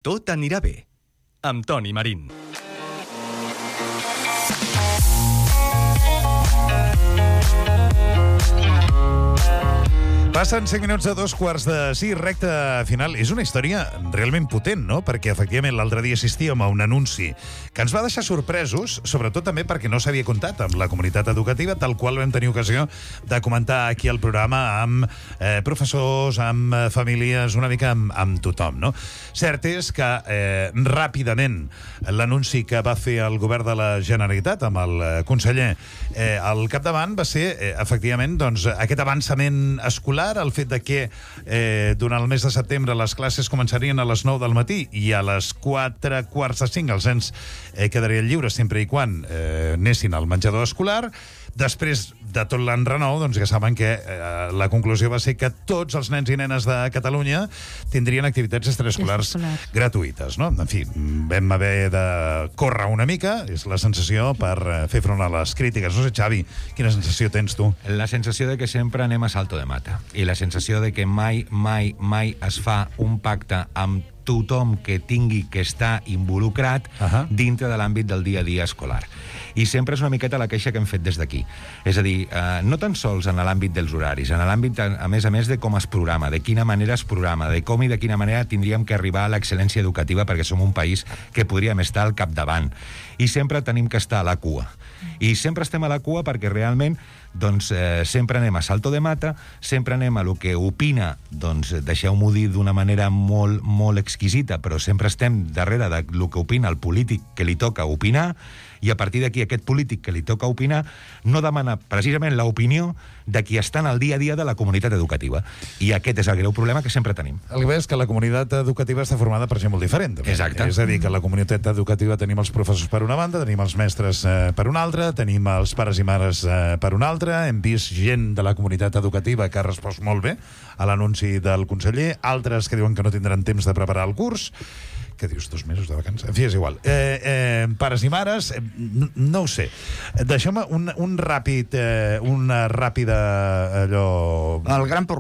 Tot anirà bé, amb Toni Marín. Passen 5 minuts de 2:45, recta final. És una història realment potent, no? Perquè, efectivament, l'altre dia assistíem a un anunci que ens va deixar sorpresos, sobretot també perquè no s'havia comptat amb la comunitat educativa, tal qual vam tenir ocasió de comentar aquí al programa amb professors, amb famílies, una mica amb tothom, no? Cert és que ràpidament l'anunci que va fer el govern de la Generalitat amb el conseller al capdavant va ser, efectivament, doncs, aquest avançament escolar, el fet de que durant el mes de setembre les classes començarien a les 9 del matí i a les 4:45 els nens quedarien lliures sempre i quan anessin al menjador escolar. Després de tot l'enrenou, doncs ja saben que la conclusió va ser que tots els nens i nenes de Catalunya tindrien activitats extraescolars gratuïtes, no? En fi, vam haver de córrer una mica, és la sensació, per fer front a les crítiques. No sé, Xavi, quina sensació tens tu? La sensació de que sempre anem a salto de mata i la sensació de que mai es fa un pacte amb tothom que tingui que estar involucrat dintre de l'àmbit del dia a dia escolar. I sempre és una miqueta la queixa que hem fet des d'aquí. És a dir, no tan sols en l'àmbit dels horaris, en l'àmbit, a més, de com es programa, de quina manera es programa, de com i de quina manera tindríem que arribar a l'excel·lència educativa perquè som un país que podríem estar al capdavant. I sempre tenim que estar a la cua. I sempre estem a la cua perquè realment doncs sempre anem a salto de mata, sempre anem a lo que opina, doncs deixeu-m'ho dir d'una manera molt exquisita, però sempre estem darrere de lo que opina el polític que li toca opinar, i a partir d'aquí aquest polític que li toca opinar no demana precisament l'opinió de qui està en el dia a dia de la comunitat educativa. I aquest és el greu problema que sempre tenim. El que ve és que la comunitat educativa està formada per gent molt diferent. També. Exacte. És a dir, que a la comunitat educativa tenim els professors per una banda, tenim els mestres per una altra, tenim els pares i mares per una altra, hem vist gent de la comunitat educativa que ha respost molt bé a l'anunci del conseller, altres que diuen que no tindran temps de preparar el curs. Què dius, 2 mesos de vacances? En fi, és igual. Pares i mares, no ho sé. Deixeu-me una ràpida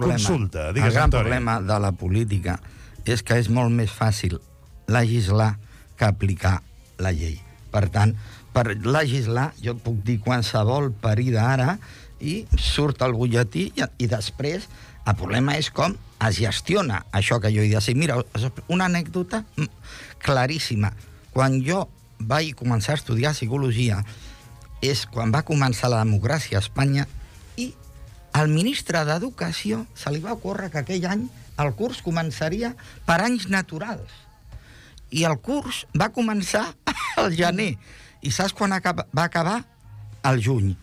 consulta. El gran problema de la política és que és molt més fàcil legislar que aplicar la llei. Per tant, per legislar, jo puc dir qualsevol parida ara i surt el butlletí i després el problema és com es gestiona això que jo he de dir. Mira, una anècdota claríssima. Quan jo vaig començar a estudiar psicologia és quan va començar la democràcia a Espanya i al ministre d'Educació se li va ocórrer que aquell any el curs començaria per anys naturals. I el curs va començar al gener. I saps quan va acabar? Al juny.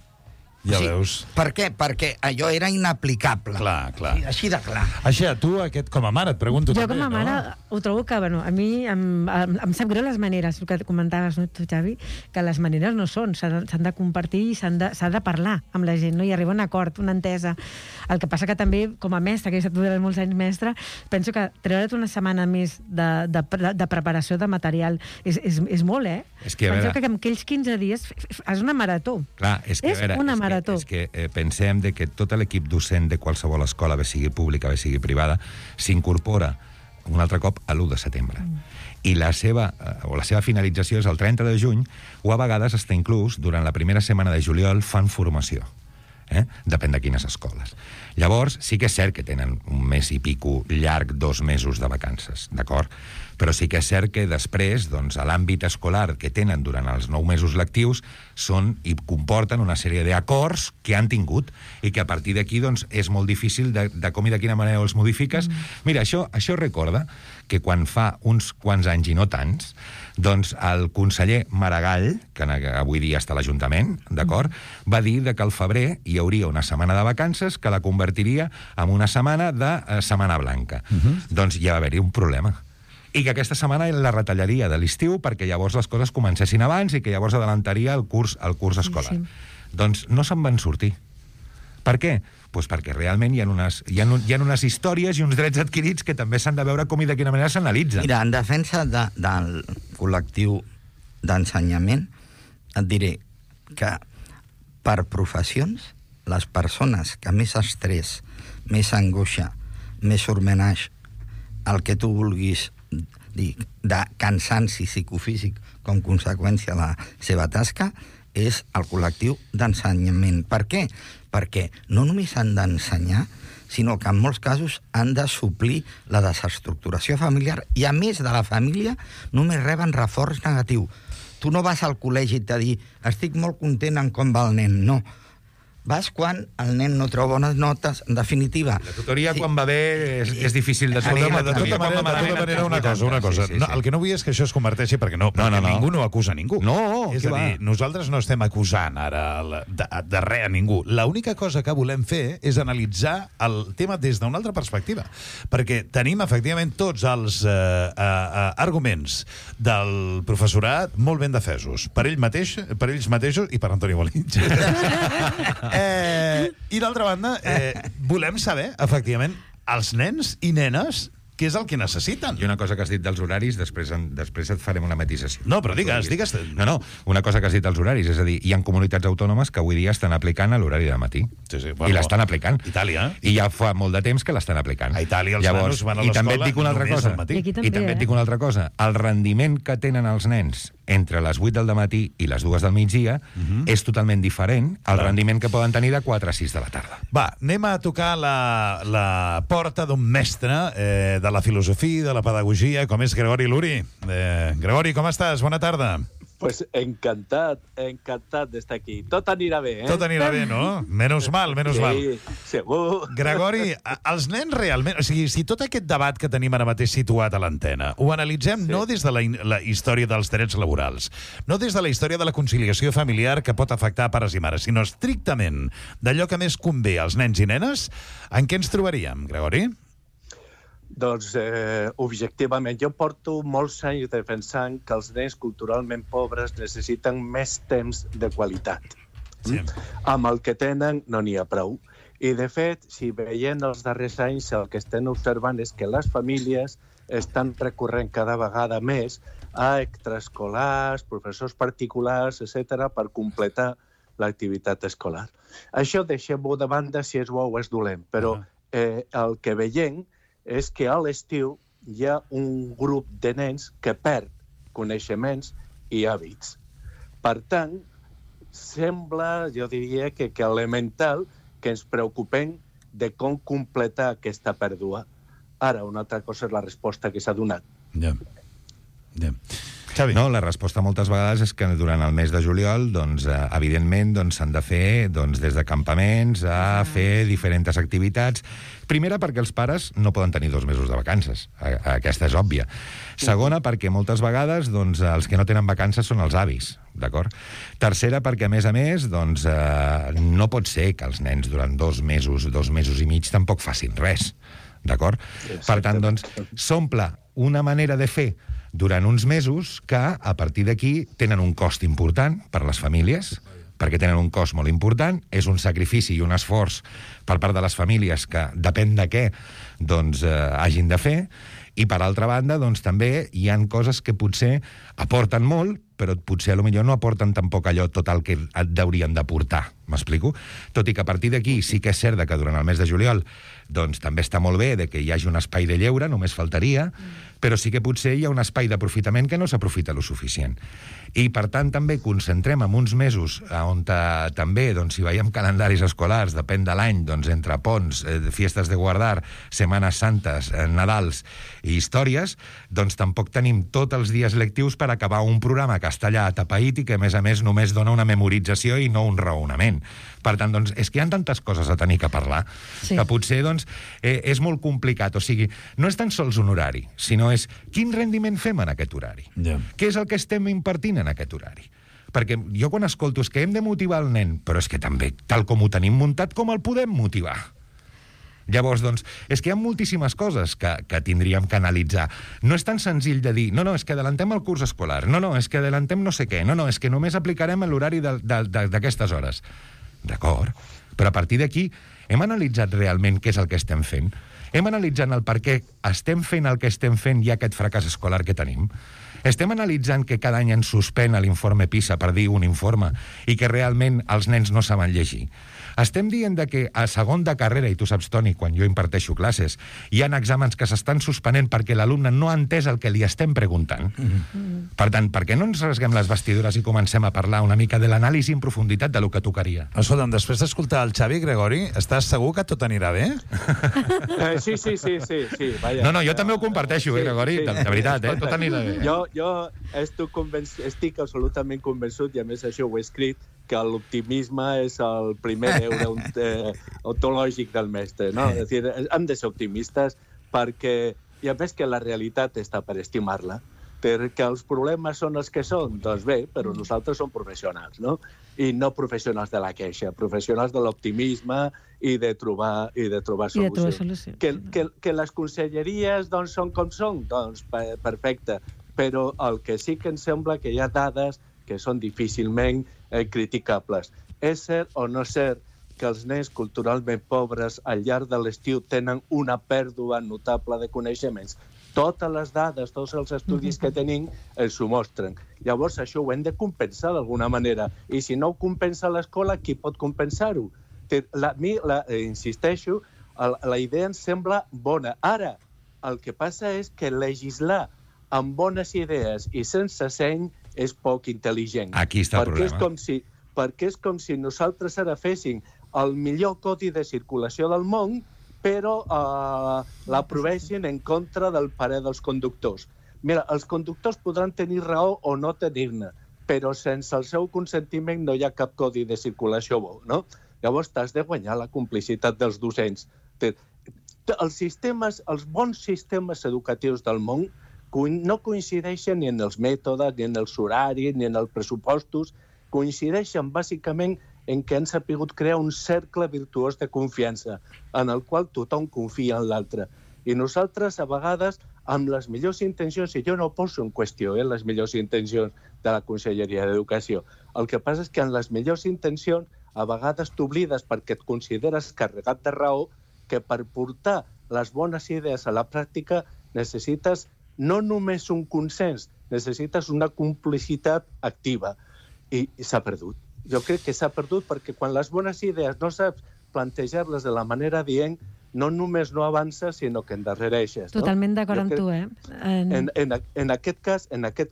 Ja veus. Per què? Perquè allò era inaplicable. Clar. Així de clar. Així, tu, com a mare, et pregunto jo també, com a mare ho trobo que, a mi em sap greu les maneres, el que comentaves, no, tu, Xavi, que les maneres no són, s'han de compartir i s'ha de parlar amb la gent, no? I arribar a un acord, una entesa. El que passa que també, com a mestre, que he estat durant molts anys mestre, penso que treure't una setmana més de preparació de material és molt, eh? Penso que en aquells 15 dies és una marató. Clar, és una marató. És que pensem de que tot l'equip docent de qualsevol escola, bé sigui pública, bé sigui privada, s'incorpora un altre cop a l'1 de setembre. I la seva finalització és el 30 de juny, o a vegades està inclús durant la primera setmana de juliol fan formació. Depèn de quines escoles. Llavors, sí que és cert que tenen un mes i pico llarg, 2 mesos de vacances, d'acord? Però sí que és cert que després, doncs, a l'àmbit escolar que tenen durant els 9 mesos lectius són i comporten una sèrie d'acords que han tingut i que a partir d'aquí, doncs, és molt difícil de com i de quina manera els modifiques. Mira, això recorda que quan fa uns quants anys i no tants, doncs el conseller Maragall, que avui dia està a l'Ajuntament, d'acord, va dir que al febrer hi hauria una setmana de vacances que la convertiria en una setmana de Setmana Blanca. Doncs ja va haver-hi un problema. I que aquesta setmana la retallaria de l'estiu perquè llavors les coses comencessin abans i que llavors adelantaria el curs escolar. Sí. Doncs no se'n van sortir. Per què? Doncs perquè realment hi ha unes històries i uns drets adquirits que també s'han de veure com i de quina manera s'analitzen. Mira, en defensa del col·lectiu d'ensenyament, et diré que per professions, les persones que més estrès, més angoixa, més surmenage, el que tu vulguis de cansanci psicofísic com conseqüència de la seva tasca, és el col·lectiu d'ensenyament. Per què? Perquè no només han d'ensenyar, sinó que en molts casos han de suplir la desestructuració familiar i, a més de la família, només reben reforç negatiu. Tu no vas al col·legi i te dir estic molt content en com va el nen, no. Vas quan el nen no treu bones notes, en definitiva. La tutoria, quan va bé, és difícil de trobar. De tota manera, una cosa. El que no vull és que això es converteixi, perquè ningú no acusa ningú. No, és a dir, nosaltres no estem acusant ara de res a ningú. L'única cosa que volem fer és analitzar el tema des d'una altra perspectiva. Perquè tenim, efectivament, tots els arguments del professorat molt ben defesos. Per ells mateixos i per Antoni Bolins. I d'altra banda, volem saber, efectivament, els nens i nenes què és el que necessiten. I una cosa que has dit dels horaris, després et farem una matisació. No, però digues. No, una cosa que has dit dels horaris, és a dir, hi ha comunitats autònomes que avui dia estan aplicant l'horari de matí. Sí, I l'estan aplicant. Itàlia. I ja fa molt de temps que l'estan aplicant. A Itàlia els nanos van a l'escola també et dic una altra cosa. I també et dic una altra cosa. El rendiment que tenen els nens entre les 8 del matí i les 2 del migdia és totalment diferent al rendiment que poden tenir de 4 a 6 de la tarda. Va, anem a tocar la porta d'un mestre de la filosofia, de la pedagogia, com és Gregori Luri. Gregori, com estàs? Bona tarda. Pues encantat d'estar aquí. Tot anirà bé, Tot anirà bé, no? Menos mal. Sí, segur. Gregori, els nens realment... O sigui, si tot aquest debat que tenim ara mateix situat a l'antena, ho analitzem no des de la història dels drets laborals, no des de la història de la conciliació familiar que pot afectar pares i mares, sinó estrictament d'allò que més convé als nens i nenes, en què ens trobaríem, Gregori? Doncs, objectivament, jo porto molts anys defensant que els nens culturalment pobres necessiten més temps de qualitat. Sí. Amb el que tenen no n'hi ha prou. I, de fet, si veiem els darrers anys, el que estem observant és que les famílies estan recorrent cada vegada més a extraescolars, professors particulars, etc., per completar l'activitat escolar. Això deixem-ho de banda si és bo o és dolent, però el que veiem és que a l'estiu hi ha un grup de nens que perd coneixements i hàbits. Per tant, sembla, jo diria, que elemental que ens preocupem de com completar aquesta pèrdua. Ara, una altra cosa és la resposta que s'ha donat. Ja. Xavi. No, la resposta moltes vegades és que durant el mes de juliol, doncs, evidentment, s'han de fer des de campaments a fer diferents activitats. Primera, perquè els pares no poden tenir 2 mesos de vacances. Aquesta és òbvia. Segona, perquè moltes vegades els que no tenen vacances són els avis, d'acord? Tercera, perquè, a més, no pot ser que els nens durant 2 mesos i mig tampoc facin res, d'acord? Per tant, s'omple una manera de fer durant uns mesos que, a partir d'aquí, tenen un cost important per les famílies, perquè tenen un cost molt important, és un sacrifici i un esforç per part de les famílies que depèn de què hagin de fer, i per altra banda, també hi han coses que potser aporten molt, però potser potser no aporten tampoc allò tot el que et haurien d'aportar, m'explico? Tot i que a partir d'aquí sí que és cert que durant el mes de juliol també està molt bé que hi hagi un espai de lleure, només faltaria, però sí que potser hi ha un espai d'aprofitament que no s'aprofita lo suficient. I, per tant, també concentrem en uns mesos on també, si veiem calendaris escolars, depèn de l'any, entre ponts, fiestes de guardar, Setmanes Santes, Nadals i històries, tampoc tenim tots els dies lectius per acabar un programa que està allà atapeït i que, a més, només dona una memorització i no un raonament. Per tant, és que hi ha tantes coses a tenir que parlar que potser, és molt complicat. O sigui, no és tan sols un horari, sinó és quin rendiment fem en aquest horari. Què és el que estem impartint en aquest horari? Perquè jo quan escolto és que hem de motivar el nen, però és que també, tal com ho tenim muntat, com el podem motivar? Llavors, és que hi ha moltíssimes coses que tindríem que analitzar. No és tan senzill de dir, no, és que adellantem el curs escolar, no, és que adellantem no sé què, no, és que només aplicarem l'horari d'aquestes hores. D'acord, però a partir d'aquí hem analitzat realment què és el que estem fent? Hem analitzat el per què estem fent el que estem fent i aquest fracàs escolar que tenim? Estem analitzant que cada any ens suspèn l'informe PISA per dir un informe i que realment els nens no saben llegir. Estem dient que a segon de carrera, i tu saps, Toni, quan jo imparteixo classes, hi ha exàmens que s'estan suspenent perquè l'alumne no ha entès el que li estem preguntant. Per tant, per què no ens rasguem les vestidures i comencem a parlar una mica de l'anàlisi en profunditat de lo que tocaria? Escolta'm, després d'escoltar el Xavi, Gregori, estàs segur que tot anirà bé? Sí. Vaja. No, jo també ho comparteixo, Gregori, de veritat, tot anirà bé. Jo estic absolutament convençut, i a més això ho he escrit, que l'optimisme és el primer deure ontològic del mestre, no? És dir, hem de ser optimistes perquè, i a més que la realitat està per estimar-la, perquè els problemes són els que són, doncs bé, però nosaltres som professionals, no? I no professionals de la queixa, professionals de l'optimisme i de trobar solucions. Que les conselleries doncs, són com són, doncs perfecte, però el que sí que em sembla que hi ha dades que són difícilment criticables. És cert o no és cert que els nens culturalment pobres al llarg de l'estiu tenen una pèrdua notable de coneixements. Totes les dades, tots els estudis que tenim ens ho mostren. Llavors això ho hem de compensar d'alguna manera. I si no ho compensa l'escola, qui pot compensar-ho? Insisteixo, la idea em sembla bona. Ara, el que passa és que legislar amb bones idees i sense seny és poc intel·ligent. Aquí està el problema. Perquè és com si nosaltres ara féssim el millor codi de circulació del món, però l'aprovessin en contra del parer dels conductors. Mira, els conductors podran tenir raó o no tenir-ne, però sense el seu consentiment no hi ha cap codi de circulació bo, no? Llavors t'has de guanyar la complicitat dels docents. Els bons sistemes educatius del món no coincideixen ni en els mètodes, ni en els horaris, ni en els pressupostos, coincideixen bàsicament en què han sapigut crear un cercle virtuós de confiança, en el qual tothom confia en l'altre. I nosaltres, a vegades, amb les millors intencions, i jo no poso en qüestió les millors intencions de la Conselleria d'Educació, el que passa és que en les millors intencions, a vegades t'oblides perquè et consideres carregat de raó, que per portar les bones idees a la pràctica necessites no només un consens, necessites una complicitat activa. I s'ha perdut. Jo crec que s'ha perdut perquè quan les bones idees no saps plantejar-les de la manera dient, no només no avances, sinó que endarrereixes. Totalment d'acord amb tu, eh? En aquest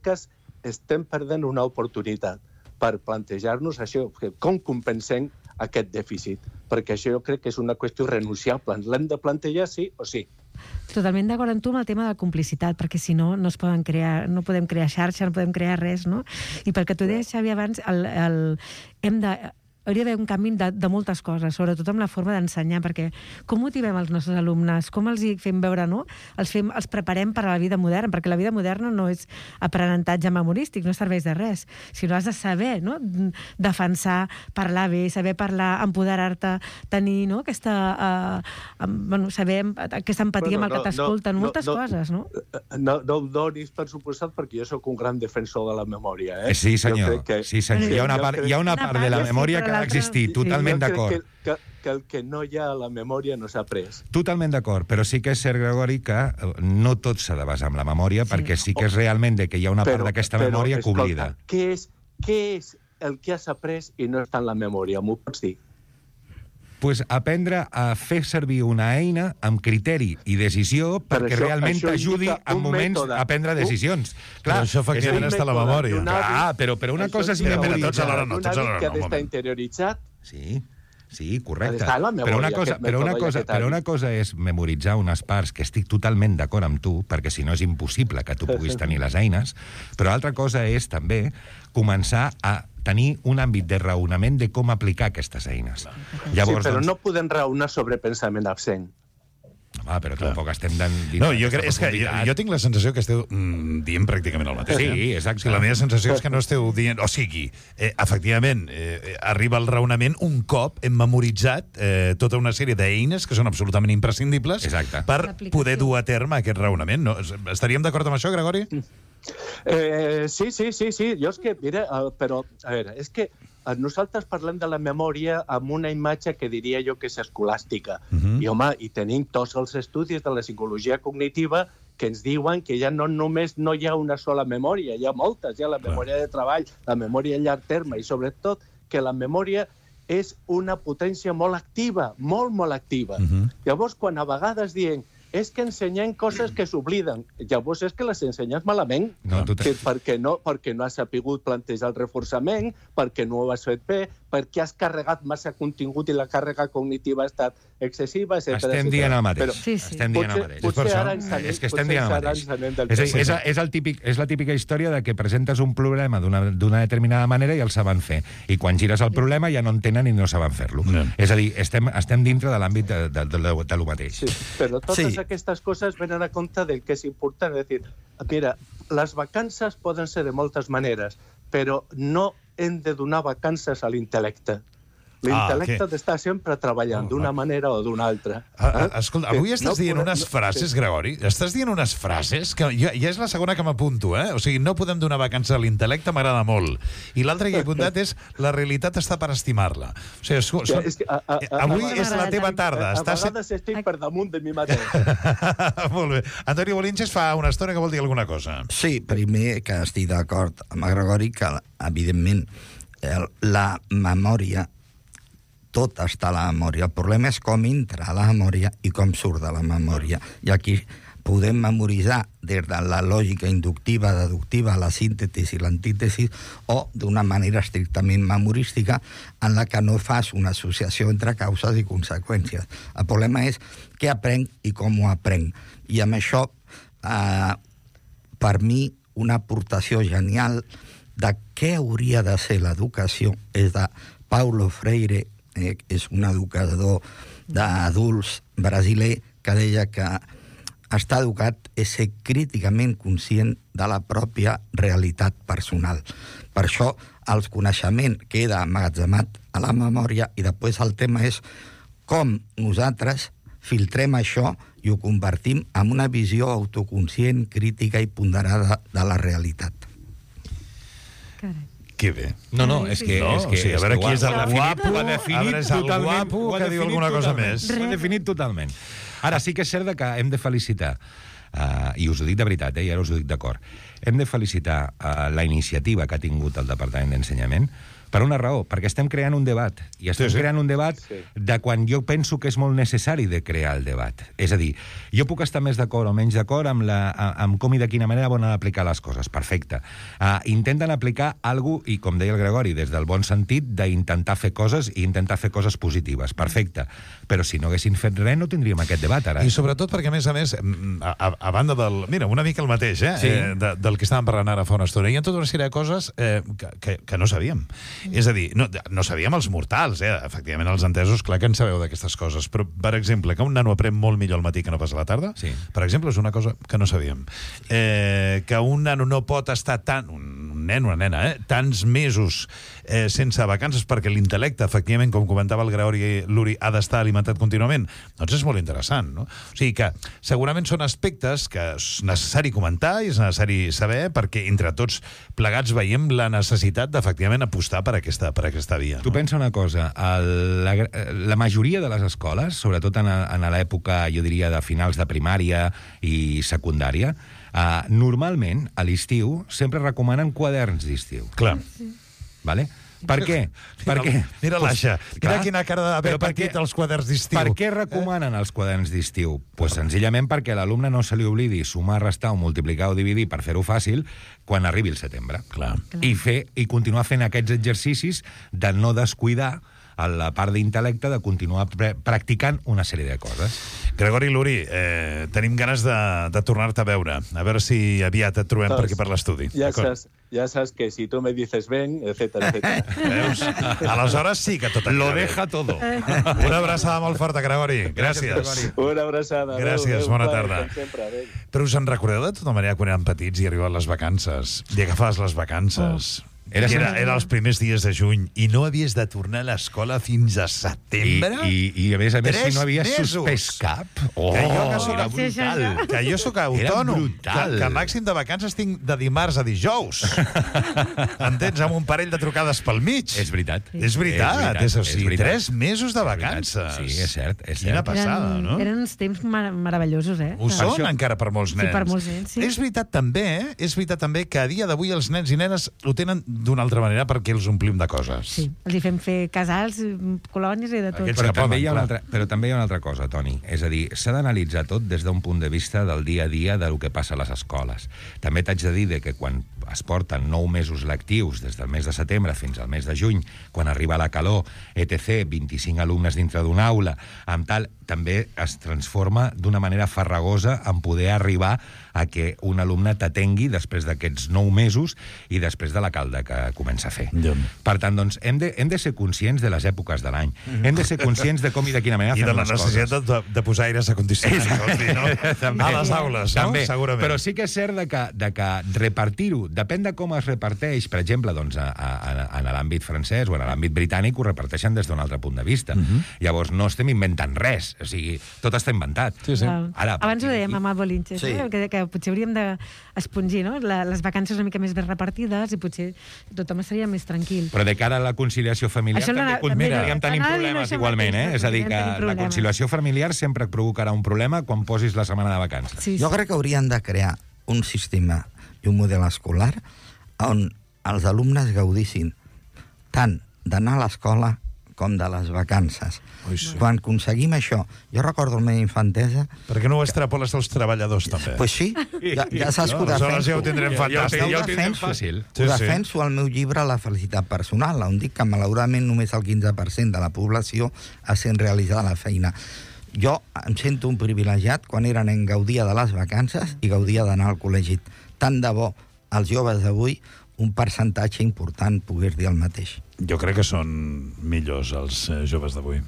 cas estem perdent una oportunitat per plantejar-nos això, com compensem aquest dèficit, perquè això jo crec que és una qüestió renunciable. L'hem de plantejar sí o sí. Totalment d'acord amb tu amb el tema de la complicitat, perquè si no, no podem crear xarxa, no podem crear res, no? I perquè tu deies, Xavi, abans, hauria d'haver un canvi de moltes coses, sobretot amb la forma d'ensenyar, perquè com motivem els nostres alumnes? Com els fem veure, no? Els preparem per a la vida moderna, perquè la vida moderna no és aprenentatge memorístic, no serveix de res, sinó has de saber, no? Defensar, parlar bé, saber parlar, empoderar-te, tenir, no? Saber aquesta empatia amb el que t'escolten, moltes coses, no? No ho donis per suposat, perquè jo sóc un gran defensor de la memòria, eh? Sí, senyor. Hi ha una part de la memòria que ha d'existir, totalment d'acord. Que el que no hi ha a la memòria no s'ha après. Totalment d'acord, però sí que és cert, Gregori, que no tot s'ha de basar en la memòria, perquè sí que és realment que hi ha una part d'aquesta memòria que oblida. Què és el que has après i no està en la memòria? M'ho pots dir? Pues aprendre a fer servir una eina amb criteri i decisió perquè realment t'ajudi en moments a prendre decisions. Clar, això efectivament està a la memòria. Clar, però una cosa és memoritzar. Un hàbit que ha d'estar interioritzat. Sí, correcte. Però una cosa és memoritzar unes parts, que estic totalment d'acord amb tu, perquè si no és impossible que tu puguis tenir les eines, però altra cosa és també començar a tenir un àmbit de raonament de com aplicar aquestes eines. Llavors, sí, però no podem raonar sobre pensament absent. Però tampoc estem dient... No, jo tinc la sensació que esteu dient pràcticament el mateix. Sí, exacte. La meva sensació és que no esteu dient... O sigui, efectivament, arriba el raonament un cop hem memoritzat tota una sèrie d'eines que són absolutament imprescindibles per poder dur a terme aquest raonament. No? Estaríem d'acord amb això, Gregori? Sí. Jo és que, mira, però, a veure, és que nosaltres parlem de la memòria amb una imatge que diria jo que és escolàstica. I, home, i tenim tots els estudis de la psicologia cognitiva que ens diuen que ja no només no hi ha una sola memòria, hi ha moltes, hi ha la memòria de treball, la memòria a llarg terme, i sobretot que la memòria és una potència molt activa, molt activa. Llavors, quan a vegades diem és que ensenyem coses que s'obliden. Llavors és que les ensenyes malament, perquè no has sapigut plantejar el reforçament, perquè no ho has fet bé, perquè has carregat massa contingut i la càrrega cognitiva ha estat excessiva, etc. Estem dient el mateix. Sí. Estem dient el mateix. Potser ara ens anem, és que estem dient el mateix. És la típica història de que presentes un problema d'una determinada manera i el saben fer. I quan gires el problema ja no entenen i no saben fer-lo. És a dir, estem dintre de l'àmbit de lo mateix. Sí, però totes aquestes coses venen a compte del que és important. És dir, mira, les vacances poden ser de moltes maneres, però no hem de donar vacances a l'intel·lecte. L'intel·lecte ha d'estar sempre treballant d'una manera o d'una altra. Escolta, avui estàs dient unes frases, Gregori, estàs dient unes frases que ja és la segona que m'apunto, O sigui, no podem donar vacances a l'intel·lecte, m'agrada molt. I l'altre que he apuntat és la realitat està per estimar-la. O sigui, avui és la teva tarda. A vegades estic per damunt de mi mateix. Molt bé. Antoni Bolinches fa una estona que vol dir alguna cosa. Sí, primer que estic d'acord amb el Gregori que, evidentment, la memòria tot està a la memòria. El problema és com entra a la memòria i com surt de la memòria. I aquí podem memoritzar des de la lògica inductiva, deductiva, la síntesi i l'antítesis, o d'una manera estrictament memorística en la que no fas una associació entre causes i conseqüències. El problema és què aprenc i com ho aprenc. I amb això, per mi, una aportació genial de què hauria de ser l'educació és de Paulo Freire, és un educador d'adults brasiler que deia que estar educat és ser críticament conscient de la pròpia realitat personal. Per això el coneixement queda emmagatzemat a la memòria i després el tema és com nosaltres filtrem això i ho convertim en una visió autoconscient, crítica i ponderada de la realitat. Carai. Que bé. No, és que... a veure qui és el guapo, ho ha definit totalment. Que diu alguna cosa més. Ho ha definit totalment. Ara, sí que és cert que hem de felicitar, i us ho dic de veritat, i ara us ho dic d'acord, hem de felicitar la iniciativa que ha tingut el Departament d'Ensenyament per una raó, perquè estem creant un debat, i estem creant un debat de quan jo penso que és molt necessari de crear el debat. És a dir, jo puc estar més d'acord o menys d'acord amb com i de quina manera volen aplicar les coses. Perfecte. Intenten aplicar alguna cosa, i com deia el Gregori, des del bon sentit d'intentar fer coses i intentar fer coses positives. Perfecte. Però si no haguessin fet res, no tindríem aquest debat ara. I sobretot perquè, a més, a banda del... Mira, una mica el mateix, del que estàvem parlant ara fa una estona. Hi ha tota una sèrie de coses que no sabíem. És a dir, no sabíem els mortals, efectivament els entesos, clar que en sabeu d'aquestes coses, però, per exemple, que un nano aprèn molt millor al matí que no pas a la tarda, per exemple, és una cosa que no sabíem. Que un nano no pot estar un nen, una nena, tants mesos sense vacances perquè l'intel·lecte, efectivament, com comentava el Gregori Luri, ha d'estar alimentat contínuament, doncs és molt interessant, no? O sigui que segurament són aspectes que és necessari comentar i és necessari saber perquè entre tots plegats veiem la necessitat d'efectivament apostar per aquesta via. Tu pensa una cosa, la majoria de les escoles, sobretot en l'època, jo diria, de finals de primària i secundària, normalment, a l'estiu, sempre recomanen quaderns d'estiu. Clar. Vale? Per què? Mira l'Aixa, mira quina cara d'haver patit els quaderns d'estiu. Per què recomanen els quaderns d'estiu? Pues senzillament perquè a l'alumne no se li oblidi sumar, restar o multiplicar o dividir per fer-ho fàcil quan arribi el setembre. Clar. I continuar fent aquests exercicis de no descuidar a la part d'intel·lecte de continuar practicant una sèrie de coses. Gregori Luri, tenim ganes de tornar-te a veure. A veure si aviat et trobem per aquí per l'estudi. Ja saps que si tu me dices ven, etcétera. Veus? Aleshores sí que tot lo deja todo. Una abraçada molt forta, Gregori. Gràcies. Una abraçada. Gràcies, bona tarda. Però us en recordeu de tota manera quan érem petits i arribaven les vacances i agafaves les vacances Era els primers dies de juny i no havies de tornar a l'escola fins a setembre? I a més, si no havies 3 mesos. suspès cap... Era brutal. Que jo sóc autònom. Que màxim de vacances tinc de dimarts a dijous. Entens? Amb un parell de trucades pel mig. És veritat. És veritat. És a dir, 3 mesos de vacances. Sí, és cert. Quina passada, no? Eren uns temps meravellosos, eh? Ho són encara per molts nens. Sí, per molts nens, sí. És veritat també que a dia d'avui els nens i nenes ho tenen d'una altra manera perquè els omplim de coses. Sí, els hi fem fer casals, colònies i de tot. Aquests Però que també, poden, però també hi ha una altra cosa, Toni. És a dir, s'ha d'analitzar tot des d'un punt de vista del dia a dia del que passa a les escoles. També t'haig de dir que quan es porten 9 mesos lectius, des del mes de setembre fins al mes de juny, quan arriba la calor, etc., 25 alumnes dintre d'una aula, amb tal, també es transforma d'una manera farragosa en poder arribar a que un alumne t'atengui després d'aquests 9 mesos i després de la calda que comença a fer. Per tant, doncs, hem de ser conscients de les èpoques de l'any. Hem de ser conscients de com i de quina manera fem les coses. I de la necessitat de posar aires acondicionats a les aules, no? També. Segurament. Però sí que és cert de que repartir-ho, depèn de com es reparteix, per exemple, doncs, en l'àmbit francès o en l'àmbit britànic, ho reparteixen des d'un altre punt de vista. Llavors, no estem inventant res. O sigui, tot està inventat. Sí, sí. Ara, abans ho dèiem amb el Bolinches, sí. que potser hauríem d'espongir, no? Les vacances una mica més ben repartides i potser tothom estaria més tranquil. Però de cara a la conciliació familiar també continuaríem tenint problemes igualment, eh? És a dir, que la conciliació familiar sempre provocarà un problema quan posis la setmana de vacances. Sí, sí. Jo crec que haurien de crear un sistema i un model escolar on els alumnes gaudissin tant d'anar a l'escola com de les vacances. Sí. Quan aconseguim això, jo recordo la meva infantesa... Per què no ho extrapoles als treballadors, també? Pues sí, ja saps que ho Aleshores ja ho tindrem fantàstic. Ja ho tindrem fàcil. Ho defenso al meu llibre La felicitat personal, on dic que malauradament només el 15% de la població ha sent realitzada la feina. Jo em sento un privilegiat quan era nen, gaudia de les vacances i gaudia d'anar al col·legi. Tant de bo els joves d'avui un percentatge important pogués dir el mateix. Jo crec que són millors els joves d'avui.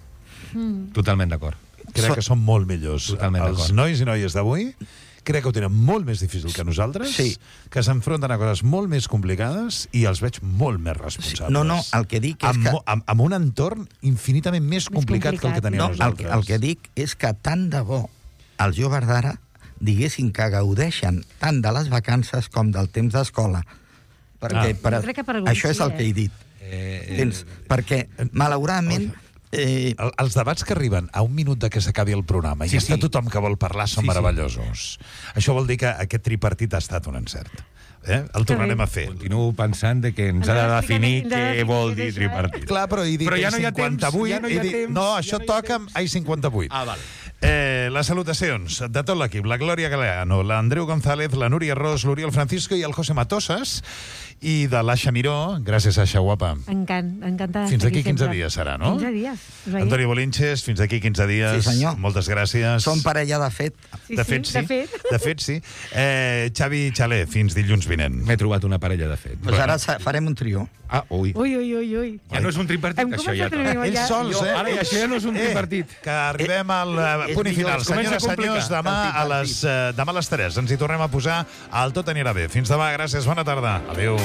Totalment d'acord. Crec que són molt millors. Totalment Els d'acord. nois i noies d'avui crec que ho tenen molt més difícil que nosaltres, Sí. que s'enfronten a coses molt més complicades i els veig molt més responsables. No, el que dic és que... Amb un entorn infinitament més complicat que el que teníem No, nosaltres. el que dic és que tant de bo els joves d'ara diguessin que gaudeixen tant de les vacances com del temps d'escola. Perquè Jo crec que per alguns això és el sí, que he dit. Tens? Perquè, malauradament... Els debats que arriben a un minut de que s'acabi el programa i està tothom que vol parlar són meravellosos. Això vol dir que aquest tripartit ha estat un encert. El tornarem a fer. Continuo pensant que ens ha de definir què vol dir tripartit. Clar, però he dit Però ja no hi ha temps, 58, ja no hi ha temps. No, això toca amb AI58. Ah, val. Les salutacions de tot l'equip, la Glòria Galeano, l'Andreu González, la Núria Ros, l'Oriol Francisco i el José Matosas, i de l'Aixa Miró. Gràcies, Aixa, guapa. Encantada. Fins aquí 15 dies serà, no? 15 dies. Antoni Bolinches, fins aquí 15 dies. Sí, senyor. Moltes gràcies. Som parella de fet. De fet, sí. De fet, sí. Xavi Xaler, fins dilluns vinent. M'he trobat una parella de fet. Doncs ara farem un trio. Ah, ui. Ui. Ja no és un tripartit, això ja. Ells sols, Ara ja això ja no és un tripartit. Que arribem al punt i final. Senyores i senyors, demà a les 3 ens hi tornem a posar al Tot anirà bé. Fins demà, gràcies, bona tarda. Adéu.